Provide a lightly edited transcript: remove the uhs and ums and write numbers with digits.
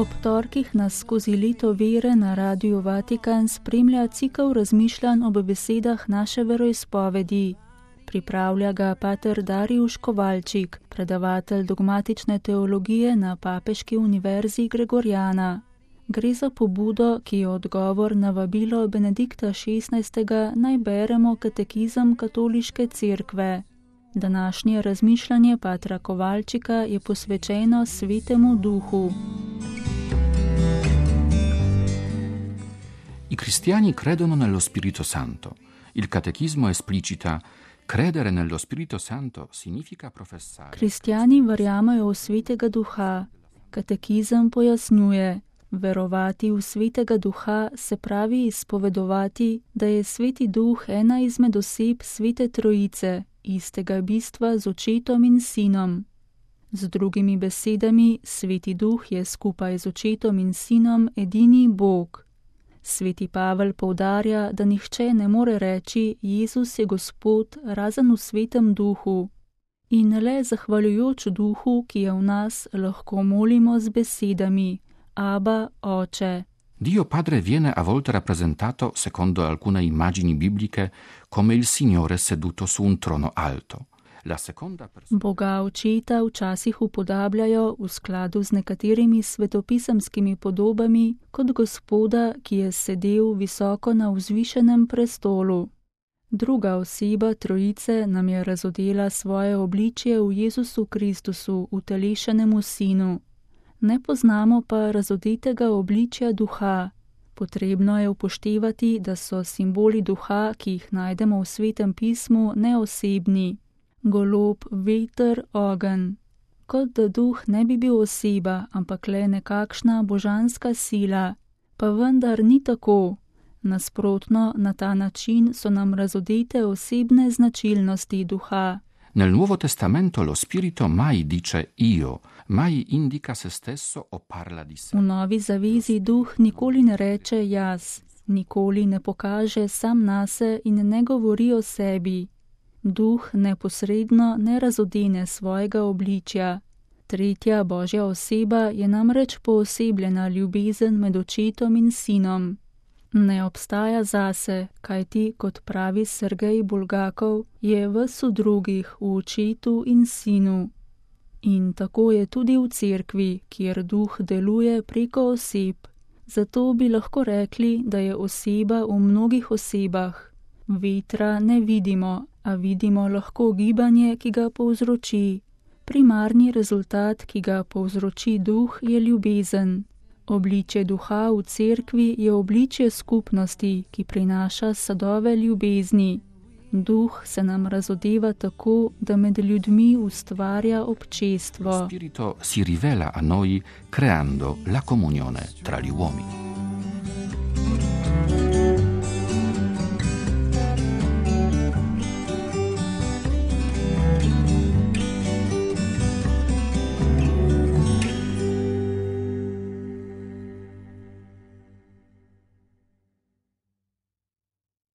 Ob torkih nas skozi leto vere na Radiu Vatikan spremlja cikel razmišljanj ob besedah naše veroizpovedi. Pripravlja ga pater Darijuš Kovalčik, predavatelj dogmatične teologije na Papeški univerzi Gregorjana. Gre za pobudo, ki je odgovor na vabilo Benedikta XVI. Naj beremo katekizem Katoliške cerkve. Današnje razmišljanje patra Kovalčika je posvečeno Svetemu Duhu. I cristiani credono nello Spirito Santo. Il catechismo esplicita: credere nello Spirito Santo significa professare. Kristjani verjamejo v Svetega Duha. Katekizem pojasnjuje: verovati v Svetega Duha se pravi izpovedovati, da je Sveti Duh ena izmed oseb Svete Trojice, istega bistva z Očetom in Sinom. Z drugimi besedami, Sveti Duh je skupaj z Očetom in Sinom edini Bog. Sveti Pavel poudarja, da nihče ne more reči Jezus je Gospod razen v Svetem Duhu. In le zahvaljujoč Duhu, ki je v nas, lahko molimo z besedami Abba, Oče. Dio Padre viene a volte rappresentato, secondo alcune immagini bibliche, come il Signore seduto su un trono alto. La seconda Boga Očeta včasih upodabljajo v skladu z nekaterimi svetopisemskimi podobami kot Gospoda, ki je sedel visoko na vzvišenem prestolu. Druga oseba Trojice nam je razodela svoje obličje v Jezusu Kristusu, utelešenemu Sinu. Ne poznamo pa razodetega obličja Duha. Potrebno je upoštevati, da so simboli Duha, ki jih najdemo v Svetem pismu, neosebni. Golob, veter, ogenj. Kot da Duh ne bi bil oseba, ampak le nekakšna božanska sila. Pa vendar ni tako. Nasprotno, na ta način so nam razodete osebne značilnosti Duha. Nel Nuovo Testamento lo Spirito mai dice io, mai indica se stesso o parla di sé. V Novi zavezi Duh nikoli ne reče jaz, nikoli ne pokaže sam nase in ne govori o sebi. Duh neposredno ne razodene svojega obličja. Tretja Božja oseba je namreč poosebljena ljubezen med Očetom in Sinom. Ne obstaja zase, kajti, kot pravi Sergej Bulgakov, je ves v drugih, v Očetu in Sinu. In tako je tudi v cerkvi, kjer Duh deluje preko oseb. Zato bi lahko rekli, da je oseba v mnogih osebah. Vetra ne vidimo, a vidimo lahko gibanje, ki ga povzroči. Primarni rezultat, ki ga povzroči Duh, je ljubezen. Obličje Duha v cerkvi je obličje skupnosti, ki prinaša sadove ljubezni. Duh se nam razodeva tako, da med ljudmi ustvarja občestvo. Spirito si rivela a noi creando la comunione tra gli uomini.